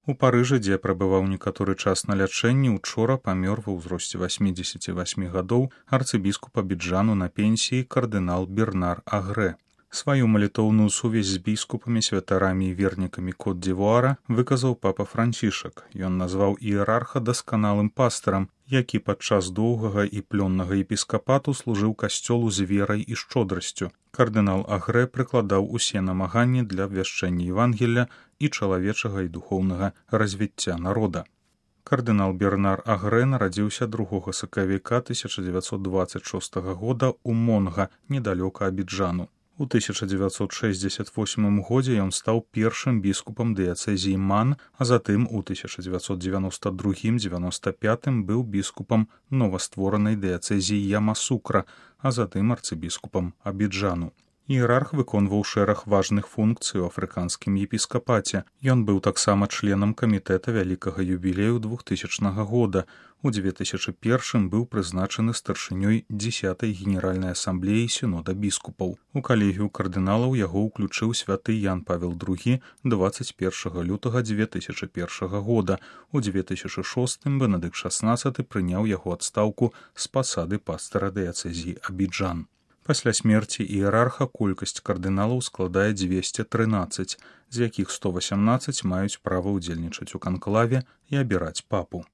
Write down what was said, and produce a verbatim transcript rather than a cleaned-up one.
У Парыжы, дзе прабываў некаторы час на лячэнні, учора памёр ва ўзросце васьмідзесяці васьмі гадоў арцыбіскуп Абіджану на пенсіі кардынал Бернар Агрэ. Сваю малітоўную сувязь з біскупамі, святарамі і вернікамі Кот-д'Івуара выказаў папа Францішак. Ён назваў іерарха дасканалым пастырам, які падчас доўгага і плённага епіскапату служыў касцёлу з верай і шчодрасцю. Кардынал Агрэ прыкладаў усе намаганні для абвяшчэння Евангелля і чалавечага і духоўнага развіцця народа. Кардынал Бернар Агрэ нарадзіўся другога сакавіка тысяча дзевяцьсот дваццаць шостага года ў Монга, недалёка Абіджану. У тысяча дзевяцьсот шэсцьдзесят восьмым годзе ён стаў першым біскупам дыяцэзіі Ман, а затым у тысяча дзевяцьсот дзевяноста другім — дзевяноста пятым быў біскупам новастворанай дыяцэзіі Ямасукра, а затым арцыбіскупам Абіджану. Іерарх выконваў шэраг важных функцый у афрыканскім епіскапаце. Ён быў таксама членам камітэта вялікага юбілею двухтысячнага года. У дзве тысячы першым быў прызначаны старшынёй дзесятай генеральнай асамблеі сінода біскупаў. У калегію кардыналаў яго ўключыў святы Ян Павел другі дваццаць першага лютага дзве тысячы першага года. У дзве тысячы шостым Бенедыкт шаснаццаты прыняў яго адстаўку з пасады пастара дыяцэзіі Абіджан. Пасля смерці іерарха колькасць кардыналаў складае дзвесце трынаццаць, з якіх сто васямнаццаць маюць права ўдзельнічаць у канклаве і абіраць папу.